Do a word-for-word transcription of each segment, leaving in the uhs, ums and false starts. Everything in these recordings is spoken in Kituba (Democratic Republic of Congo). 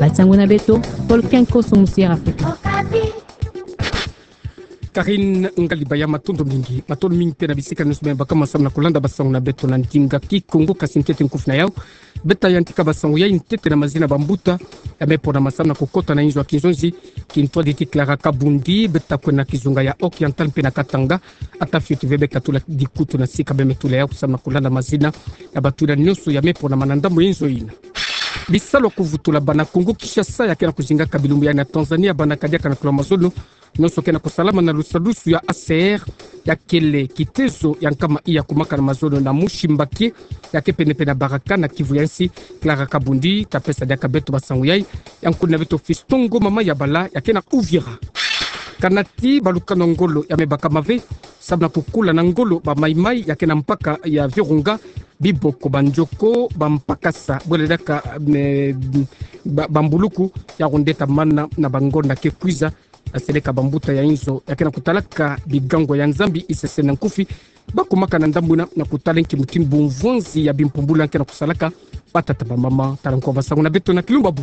Basango na beto, Volcan Koso Musière Afrika. Karine Ngalibaya, matondo mingi. Matondo mingi mpe na bisika nyonso beno baka samu na kulanda basango na beto na ndinga Kikongo. Kasi ntete nkufi na yau, beta yantika basango yai ntete na mazina bambuta ya me ponama samu na kukota na inzo ya kinzonzi. Kintwadi ti Clara Kabundi, beta kwenda na kizunga ya Oriental mpe na Katanga. Ata fioti ve beka tula dikutu na sika, beno me tula yau samu na kulanda mazina ya batula nyonso ya me ponama na ndambu ya inzo ina. Bisalu ya kuvutula bana Kongo Kinshasa ya ke na kuzingaka bilumbu yai na Tanzanie, bana kadiaka na kula mazono, nyonso ke na kusalama na lusalusu ya A C R, ya kele kitezo ya nkama iya kumakana mazono na Mushimbakie, ya ke penepene na Baraka na Kivu ya nsi. Clara Kabundi ta pesa diaka beto basango yai, ya nkuna beto Fiston Ngoma Mayabala, ya ke na Uvira. Kanati balukano ya ngolo ya me bakama ve samu na kukula na ngolo ba Mai-Mai ya ke na mpaka ya Virunga, biboko, banjoko, bampakasa, bwela diaka, me, ba, bambuluku, ya ko nde ta mana na bangonda ke kwiza. Ya seleka bambuta ya inzo ya ke na kutalaka bigango ya Nzambi isese na nkufi, bakumaka na ndambu ina na kutala nki mutindu bumvwanzi ya bimpumbulu ya ke na kusalaka. Batata, bamama, tala nko basango na beto na kilumbu bu.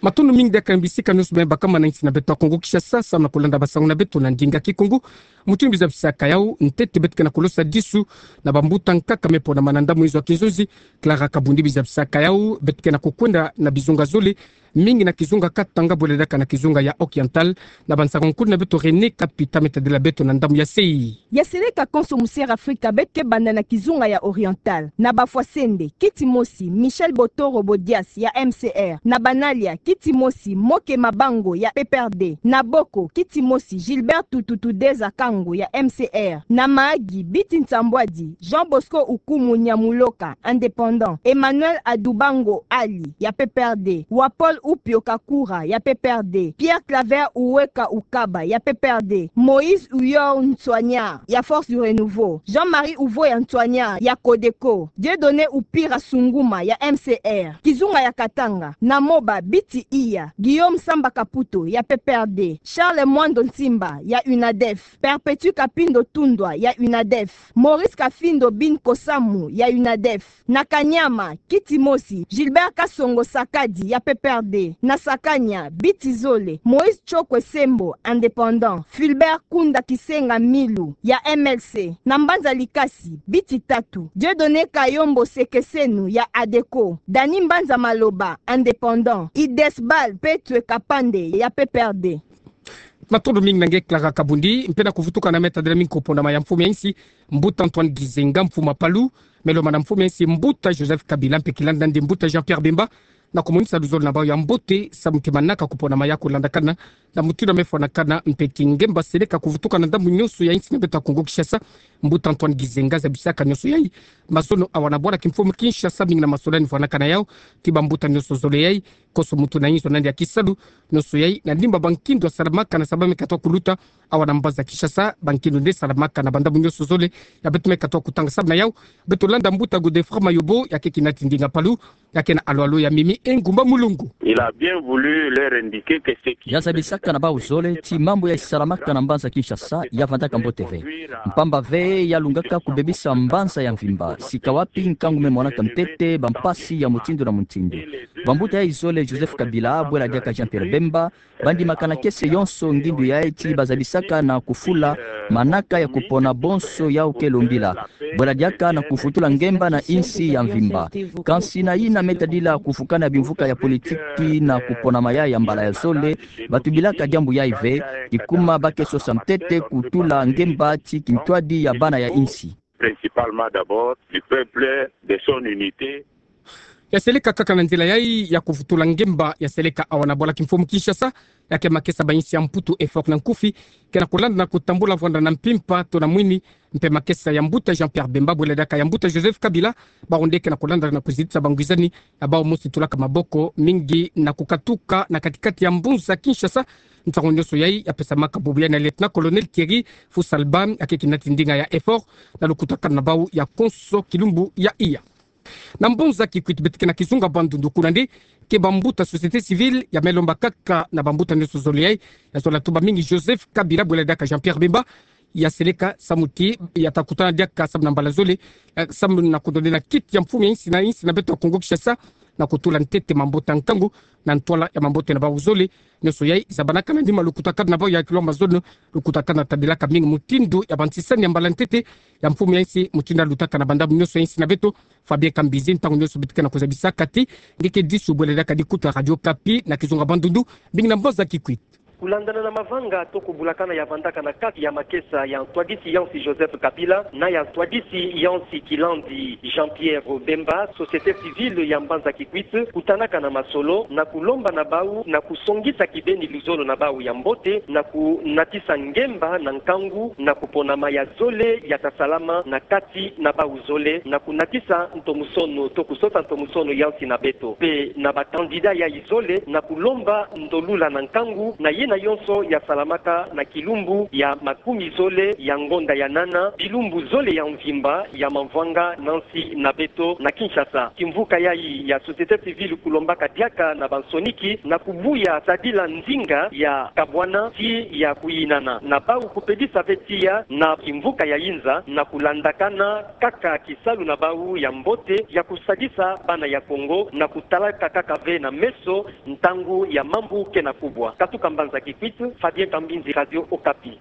Matondo mingi diaka na bisika nyonso beno baka na insi na beto ya Kongo Kinshasa samu na kulanda basango na beto na ndinga Kikongo. Mutindu bizabisaka yau, ntete beto ke na kulosa disu na bambuta nkaka me ponama na ndambu ya inzo ya kinzonzi. Clara Kabundi bizabisaka yau, beto ke na kukwenda na bizunga zole, mingi na kizunga Katanga, bwela diaka na kizunga ya Oriental, na bansango nkulu na beto René Kapita me tadila beto na ndambu ya sei. Ya seleka Konso Musière Afrika, beto ke banda na kizunga ya Oriental. Na bafwasende, kiti mosi, Michel Botoro Bodias ya M C R. Na banalia, kiti mosi, Moke Mabango ya P P R D. Na boko, kiti mosi, Gilbert Tututu Deza Kango ya M C R. Na maagi, biti nsambwadi, Jean Bosco Ukumu Nyamuloka, indépendant. Emmanuel Adubango Ali ya P P R D. Wa Paul Upio Kakura ya P P R D. Pierre Claver Uweka Ukaba ya P P R D. Moïse Uyor Ntswanya ya Force du Renouveau. Jean-Marie Uvoya Ntswanya ya Codeco. Dieudonné Upira Sunguma ya M C R. Kizunga ya Katanga. Na Moba, biti iya, Guillaume Samba Kaputo ya P P R D. Charles Mwando Nsimba ya UNADEF. Perpétue Kapindo Tundwa ya UNADEF. Maurice Kafindo Bin Kosamu ya UNADEF. Na Kanyama, kiti mosi, Gilbert Kasongo Sakadi ya P P R D. Na Sakanya, biti zole, Moïse Chokwe Sembo, indépendant. Fulbert Kunda Kisenga Milu ya M L C. Na Mbanza Likasi, biti tatu, Dieudonné Kayombo Sekesenu ya ADECO. Dany Mbanza Maloba, indépendant. Idesbal Petwe Kapande ya P P R D. Matondo mingi na nge Clara Kabundi, mpe na kuvutuka na me tadila mingi kuponama ya mfumu ya insi, mbuta Antoine Gizenga, mfumu Palu, me lomana mfumu ya insi, mbuta Joseph Kabila, mpe kilanda ndi mbuta Jean-Pierre Bemba, na kumonisa luzolo na bau ya mbote samu ti manaka kuponama ya kulandakana na mutindu ya me fwanakana, mpe ti ngemba seleka kuvutuka na ndambu nyonso ya insi na beto ya Kongo Kinshasa. Mbuta Antoine Gizenga zabisaka nyonso yai mazono awa na bwala kimfumu Kinshasa, mingi na masolani fwanakana yau ti bambuta nyonso zole yai, koso muntu na inzo na yandi ya kisalu, nyonso yai na ndimba bankindu asalamakana samu ba me katuka kuluta awa na mbanza Kinshasa, bankindu nde salamakana na bandambu nyonso zole ya beto me katuka kutanga. Samu na yau, beto landa mbuta Godefroid Mayobo, ya ke kinati ndinga Palu, ya ke na alo-alo ya mimi engumba mulungu. Il a bien voulu leur indiquer que ce qui... Ya zabisaka na bau zole ti mambu ya isalamaka na mbanza Kinshasa ya vandaka mbote ve. Mpamba ve ya lungaka kubebisa mbanza ya mvimba, sika wapi nkangu me monaka ntete bampasi ya mutindu na mutindu. Bambuta yai zole, Joseph Kabila, bwela diaka Jean-Pierre Bemba, bandimakana kiese yonso ngindu yai ti bazabisaka na kufula manaka ya kupona bonso yau ke lombila, bwela diaka na kuvutula ngemba na insi ya mvimba. Kansi na yina me tadila kuvukana ya bimvuka ya politiki na kuponama yai ya mbala ya zole, batubilaka diambu yai ve, kikuma ba ke sosa ntete kutula ngemba ti kintwadi ya bana ya insi. Principalement d'abord du peuple, de son unité. Ya seleka kaka na nzila yai ya kuvutula ngemba, ya seleka awa na bwala kimfumu Kinshasa, ya ke makesa ba insi ya Mputu, EFORT na nkufi, ke na kulanda na kutambula vwanda na mpimpa to na mwini, mpe makesa ya mbuta Jean-Pierre Bemba, bwela diaka ya mbuta Joseph Kabila, bau nde ke na kulanda na kuzitisa bangwizani ya bau mosi tulaka maboko mingi na kukatuka na katikati ya mbanza Kinshasa. Nsangu nyonso yai ya pesamaka bubu yai na Lieutenant-colonel Thierry Fusalba, ya ke kinati ndinga ya EFORT, na lukutakanu na bau ya konso kilumbu ya iya. Na mbanza Kikwit, beto ke na kizunga Bandundu, kuna nde ke bambuta société civile ya me lomba kaka na bambuta nyonso zole yai, ya zola tuba mingi Joseph Kabila, bwela diaka Jean-Pierre Bemba, ya seleka samu ti ya ta kutana diaka samu na mbala zole, eh, samu na kundonde na kiti ya mfumu ya insi na insi na beto ya Kongo Kinshasa, na kutula ntete mambote ya nkangu na ntwala ya mambote na bau zole. Nionso yai zabanaka na nima lukutakana na bau ya Kilombo Mazono, lukutakana tadilaka mingi mutindu ya bantisani ya mbala ntete ya mfumu ya insi, mutindu alutaka na bandambu nionso ya insi na beto. Fabien Kambinzi, ntangu nionso beto ke na kuzabisa kati, nge ke disu bwela diaka dikuta Radio Okapi na kizunga Bandundu, mingi na mbanza Kikwit. Kulandana na mavanga to kubulakana ya vandaka na kati ya makesa ya ntwadisi ya insi Joseph Kabila na ya ntwadisi ya insi kilandi Jean-Pierre Bemba, société civile ya mbanza Kikwit kutanaka na masolo na kulomba na bau na kusongisa kibeni luzolo na bau ya mbote na kunatisa ngemba na nkangu na kuponama ya zole ya tasalama na kati na bau zole na kunatisa ntomusono to kusosa ntomusono ya insi na beto. Mpe na ba candidat yai zole na kulomba ndolula na nkangu na yina yonso yasalamaka na kilumbu ya makumi zole ya ngonda ya nana, bilumbu zole ya mvimba ya mavanga na insi na beto na Kinshasa. Kimvuka yai ya société civile kulombaka diaka na bansoniki na kubuya tadila nzinga ya kabwana ti ya kuyinana na bau kupedisa ve tiya na kimvuka ya inza na kulandakana kaka kisalu na bau ya mbote ya kusadisa bana ya Kongo na kutalaka kaka ve na meso ntangu ya mambu ke na kubwa. Katuka mbanza Kikwit, Fabien Kambinzi, Radio Okapi.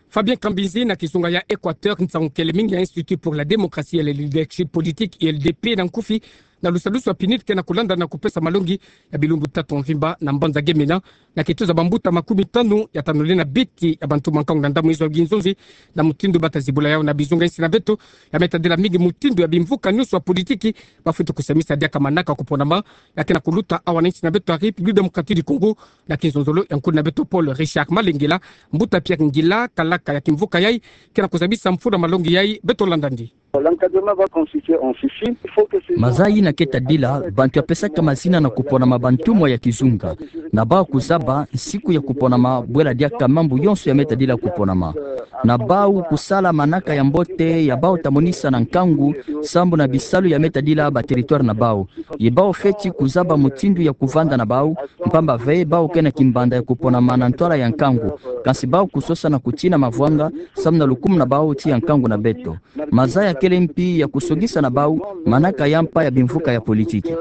Fabien Kambinzi. Na kizunga ya Équateur, nsangu kele mingi ya Institut pour la démocratie et le leadership politique, I L D P na nkufi, na lusalusu ya PNUD ke na kulanda na kupesa malongi ya bilumbu tatu mvimba na mbanza Gemena, na kituza bambuta makumi tanu ya tanu lenda biti ya bantu mankangu na ndambu izo ya kinzonzi, na mutindu bata zibula yau na bizunga insi na beto, ya me tadila mingi mutindu ya bimvuka nionso ya politiki bafwete kusamisa diaka manaka kuponama ya ke na kuluta awa na insi na beto ya République démocratique du Congo, na kinzonzolo ya nkuna na beto Paul Richard Malengela. Mbuta Pierre Ngila, kalaka ya kimvuka yai, ke na kuzabisa mfunu ya malongi yai, beto landa ndi. L'encadrement va consister en ceci. Il faut que ces gens... Maza yina ke tadila, bantu ya pesaka mazina na kuponama bantumwa ya kizunga, na bau kuzaba nsiku ya kuponama, bwela diaka mambu yonso ya me tadila kuponama, na bau kusala manaka ya mbote ya bau ta monisa na nkangu, sambu na bisalu ya me tadila ba territoire na bau. Ye bau fweti kuzaba mutindu ya kuvanda na bau, mpamba ve bau ke na kimbanda ya kuponama na ntwala ya nkangu, kansi bau kusosa na kutina mavwanga, sambu na lukumu na bau ti ya nkangu na beto. Maza ya kele mpi ya kusongisa na bau manaka ya mpa ya bimvuka ya politiki.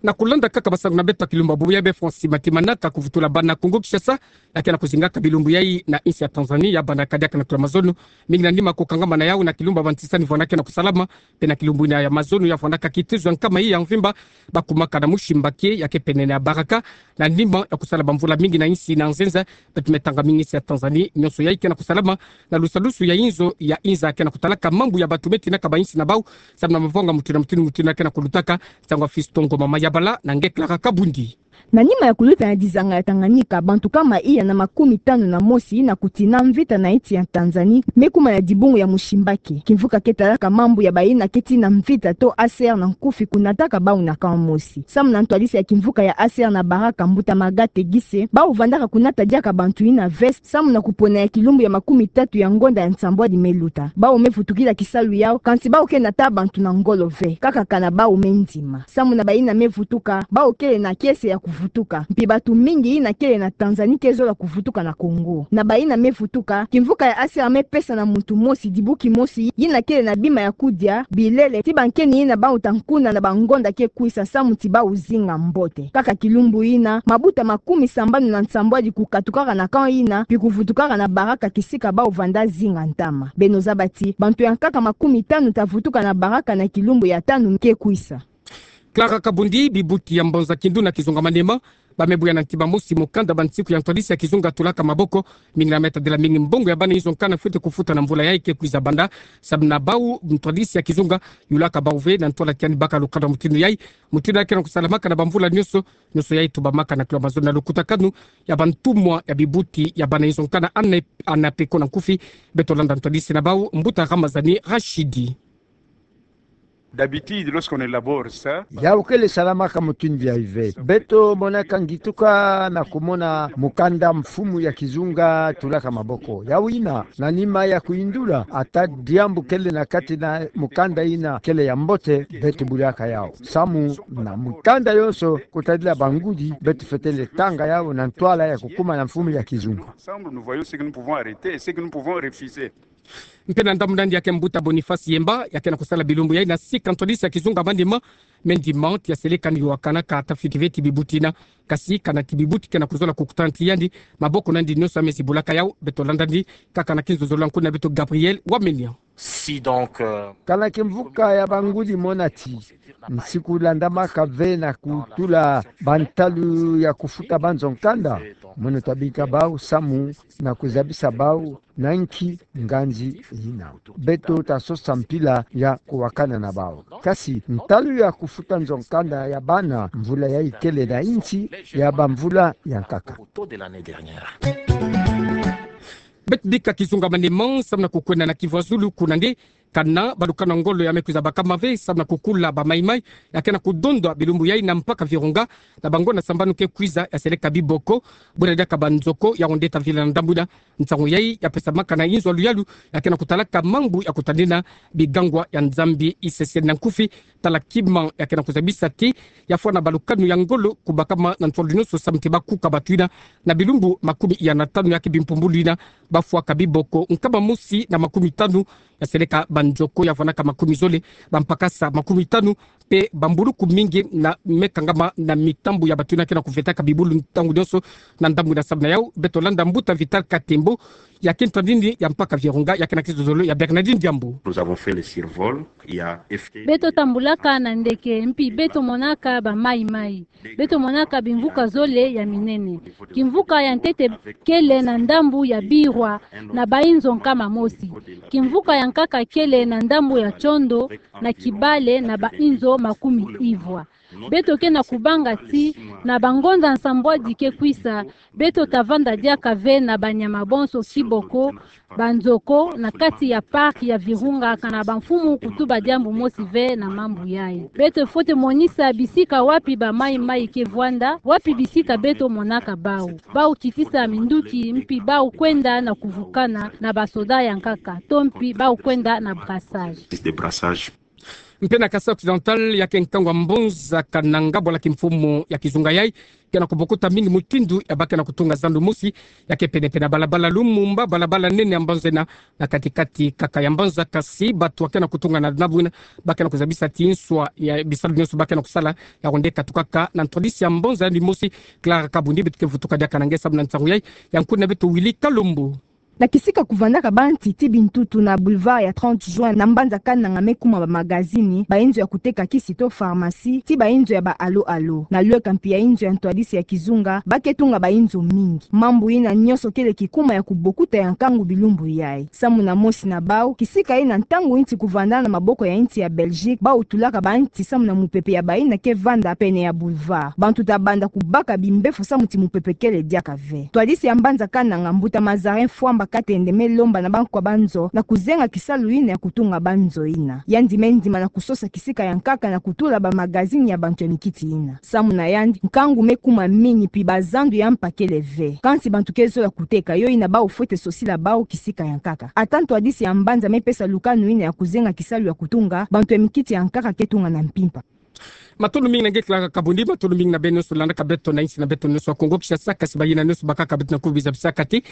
Na kulanda kaka basangu na beto ya kilumbu ya bubu, ya be Francis Matimanaka kuvutula bana Kongo Kinshasa, ya ke na kuzingaka bilumbu yai na insi ya Tanzanie, ya bandaka diaka na tula mazono, mingi na nima kukangamana yau na kilumbu ya bantisani vwanda ke na kusalama, mpe na kilumbu yina ya mazono ya vwandaka kituza nkama yai ya mvimba, bakumaka na Musimbaki, ya ke pene na Baraka, na nima ya kusala bamvula mingi na insi na nzenza, beto me tanga mingi insi ya Tanzanie, nionso yai ke na kusalama na lusalusu ya inzo ya inza ke na kutalaka mambu ya bantu me tinaka ba insi na bau, sambu na mavanga mutindu na mutindu mutindu ya ke na kulutaka. Nsangu ya Fiston Ngoma Mayabala na nge Clara Kabundi. Na nima ya kuluta na dizanga ya Tanganyika, bantu nkama iya na makumi tanu na mosi yina kutina mvita na insi ya Tanzanie me kuma na dibungu ya Musimbaki. Kimvuka ke talaka mambu ya bayina ke tina mvita to A C R na nkufi kunataka bau na camp mosi. Samu na ntwadisi ya kimvuka ya A C R na Baraka, mbuta Magate Gise, bau vandaka kunata diaka bantu yina ve samu na kupona ya kilumbu ya makumi tatu ya ngonda ya nsambwadi me luta. Bau me vutukila kisalu yau, kansi bau ke nata bantu na ngolo ve, kaka kana bau me ndima. Samu na bayina me vutuka, bau kele na kiese ya kuvutuka. Mpi bantu mingi yina kele na Tanzanie ke zola kuvutuka na Congo. Na bayina me vutuka, kimvuka ya A C R me pesa na muntu mosi dibuki mosi yina kele na bima ya kudia, bilele, ti bankeni yina bau ta kuna na bangonda ke kwisa samu ti bau zinga mbote. Kaka kilumbu yina, mabuta makumi sambanu na nsambwadi kukatukaka na camp yina, mpi kuvutukaka na Baraka kisika bau vanda zinga ntama. Beno zaba ti bantu ya nkaka makumi tanu ta vutuka na Baraka na kilumbu ya tanu ke kwisa. Clara Kabundi. Bibuti ya mbanza Kindu na kizunga Maniema, ba me buya na ntima mosi mukanda ba nsiku ya ntwadisi ya kizunga Tulaka Maboko. Mingi na me tadila mingi mbongo ya bana inzo nkana fwete kufuta na mvula yai ke kwiza banda, samu na bau ntwadisi ya kizunga yulaka bau ve na ntwala tiani baka lukanda mutindu yai. Mutindu yai ke na kusalamaka na bamvula nionso, nionso yai tubamaka na Kilombo Mazono na lukutakanu ya bantumwa ya bibuti ya bana inzo nkana, ana, ana peko na nkufi. Beto landa ntwadisi na bau, mbuta Ramazani Rashidi. D'habitude, lorsqu'on élabore ça, yau kele salamaka mutindu yai ve. Beto monaka ngituka na kumona mukanda mfumu ya kizunga Tulaka Maboko. Yau yina, na nima ya kuyindula ata diambu kele na kati na mukanda yina kele ya mbote, beto bulaka yau. Samu na mukanda yonso, kutadila bangudi, beto fwete tanga yau na ntwala ya kukuma na mfumu ya kizunga. Ensemble, nous voyons ce que nous pouvons arrêter et ce que nous pouvons refuser. Mpe na ndambu nandi ya ke mbuta Boniface Yemba, ya ke na kusala bilumbu yai na sika ntwadisi ya kizunga Maniema, me ndima ti ya seleka ni wakanaka tafiti ve ti bibuti yina, kasi kana ti bibuti ke na kuzola kukutana ti yandi, maboko nandi nyonso ya me zibulaka yau. Beto landa ndi, kaka na kinzozolo ya nkuna beto Gabriel Wamenia. Si donc, euh, Kana kimvuka ya bangudi mona ti nsiku landamaka ve na kutula bantalu ya kufuta banzo nkanda, mono tabika bau samu na kuzabisa bau na nki nganzi yina. Beto tasosa mpila ya kuwakana na bau. Kasi ntalu ya kufuta nzo nkanda ya bana mvula yai kele na insi ya bamvula ya nkaka. Beto bika kizunga Maniema samu na kukwenda na Kivu ya Zulu, kuna nde kana balukanu ya ngolo ya me kwiza bakama ve samu na kukula ba maimai ya ke na kudondwa bilumbu yai na mpaka Virunga, na bangonda sambanu ke kwiza ya seleka biboko, bwela diaka banzoko, yau nde tavila na ndambu yina. Nsangu yai ya pesamaka na inzo ya luyalu ya ke na kutalaka mambu ya kutanina bigangwa ya Nzambi iseseni na nkufi, tala kima ya ke na kuzabisa ti ya fwana balukanu ya ngolo kubakama na ntwala nyonso samu ti bakuka batu yina na bilumbu makumi ya na tanu ya ke bimpumbulu yina, bafwaka biboko nkama mosi na makumi tanu, ya seleka banzoko ya fwanaka makumi zole, bampakasa makumi tanu, mpe bambuluku mingi na me kangama na mitambu ya batu yina ke na kuvetaka bibulu ntangu nyonso na ndambu yina. Samu na yau, beto landa mbuta Vital Katembo, ya ke ntwadini ya mpaka Virunga, ya ke na kizozolo ya Bernardine Diambu. Nous avons fait le survol, il y a F T. Beto tambulaka na ndeke, mpi beto monaka ba maimai. Beto monaka bimvuka zole ya minene. Kimvuka ya ntete kele na ndambu ya Birwa na bainzo nkama mosi. Kimvuka ya nkaka kele na ndambu ya Tsiondo na Kibale na bainzo makumi ivwa. Beto ke na kubanga ti na bangonda nsambwadi ke kwisa, beto tavanda diaka ve na banyama bonso, kiboko banzoko na kati ya parc ya Virunga, kana bamfumu kutuba diambu mosi ve na mambu yai. Beto fwete monisa bisika wapi ba maimai ke vwanda, wapi bisika beto monaka bau. Bau kitisa minduki, mpi bau kwenda na kuvukana na basoda ya nkaka, to mpi bau kwenda na brassage. Mpe na Kasaï Occidental, ya ke nkangu ya Mbanza Kananga, bwala kimfumu ya kizunga yai ke na kubokuta mingi mutindu ya ba ke na kutunga zandu mosi ya ke pene-pene ya balabala Lumumba, balabala nene ya mbanza yina, na kati-kati kaka ya mbanza. Kasi batu ya ke na kutunga na ndambu yina ba ke na kuzabisa ti nswa ya bisalu nyonso ba ke na kusala, yau nde katukaka na ntwadisi ya mbanza yandi mosi, Clara Kabundi. Beto ke vutuka diaka na nge samu na nsangu yai ya nkuna beto Willy Kalombo. Na kisika kuvandaka banti ti bintutu na boulevard ya trente juin na mbanza Kananga me kuma ba magazini, bainzo ya kuteka kisi to pharmacie, ti bainzo ya ba Allo Allo. Na lweka mpi ya inzo ya ntwadisi ya kizunga, ba ke tunga bainzo mingi. Mambu yina nyonso kele kikuma ya kubokuta ya nkangu bilumbu yai. Samu na mosi na bau, kisika yina ntangu inti kuvanda na maboko ya inti ya Belgique, bau tulaka banti samu na mupepe ya bayina ke vanda pene ya boulevard. Bantu tabanda kubaka bimbefo samu ti mupepe kele diaka ve. Ntwadisi ya mbanza Kananga, mbuta Mazarin Fwamba Katende, me lomba na bankwa banzo na kuzenga kisalu yina ya kutunga banzo yina. Yandi me ndima na kusosa kisika ya nkaka na kutula ba magazini ya bantu ya mikiti yina. Samu na yandi, nkangu me kuma mingi mpi bazandu ya mpa kele ve. Kansi bantu ke zola kuteka, yo yina bau fwete sosila bau kisika ya nkaka. Ata ntwadisi ya mbanza me pesa lukanu yina ya kuzenga kisalu ya kutunga, bantu ya mikiti ya nkaka ke tunga na mpimpa. Matondo mingi na nge Clara Kabundi, matondo mingi na beno nyonso landaka beto na insi na beto nyonso ya Kongo Kinshasa, kasi bayina nyonso bakaka beto na kubiza bisaka ti,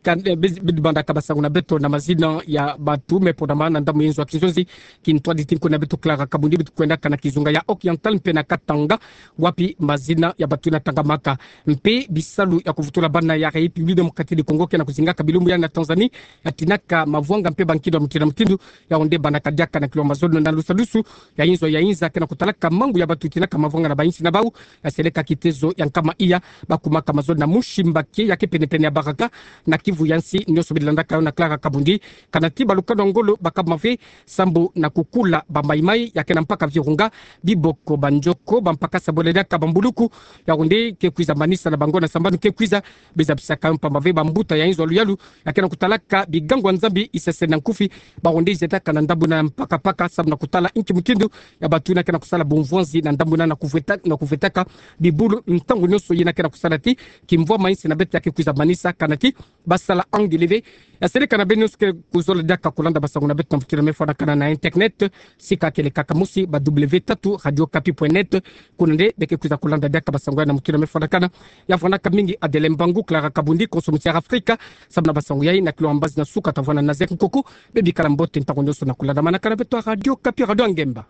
kan, eh, bidi bandaka basangu na beto na mazina ya batu me ponama na ndambu ya inzo ya kinzonzi, kintwadi ti nkuna beto Clara Kabundi. Beto kwendaka na kizunga ya Occidental mpe na Katanga, wapi mazina ya batu yina tangamaka. Mpe bisalu ya kuvutula bana ya République Démocratique du Congo ke na kuzingaka bilumbu yai na Tanzanie, ya tinaka mavwanga mpe bankindo ya mutindu na mutindu, yau nde bandaka diaka na kilo mazono na lusalusu ya inzo ya inza ke na kutalaka mambu ya batu tinaka mavwanga na bainsi na bau, ya seleka kitezo ya nkama iya, bakumaka mazono na Mushimba Kié, ya ke pene-pene ya Baraka, na Kivu ya nsi. Nyonso bidi landaka yo na Clara Kabundi, kana ti balukanu ya ngolo bakama ve sambu na kukula ba maimai ya ke na mpaka Virunga, biboko, banzoko, bampakasa bwela diaka bambuluku, yau nde ke kwiza manisa na bangonda sambanu ke kwiza, biza bisaka yo mpamba ve bambuta ya inzo ya luyalu ya ke na kutalaka bigangu ya Nzambi iseseni na nkufi, bau nde zitaka na ndambu yina mpaka-mpaka samu na kutala inki mutindu ya batu yina ke na kusala bumvwanzi na ndamuna na kuvweta, na kuvwetaka bibulu ntangu nyonso. Yina ke na kusala ti kimvwama insi na beto ya ke kwiza manisa kana ti basala angele ve. Ya seleka na beno nyonso ke kuzola diaka kulanda basango na beto na mukila mefwanakana na internet, sika kele kaka mosi ba w tatu radio okapi point net. Kuna nde be ke kwiza kulanda diaka basango ya na mukila mefwanakana. Ya fwanaka mingi Adele Mbangu, Clara Kabundi, konso muti ya Afrika, sababu na basango yayi. Na kilo mbazi na suka, tavwanda na Zek Nkuku. Be bikala mbote ntangu nyonso na kulanda manaka na beto ya Radio Okapi, Radio ya Ngemba.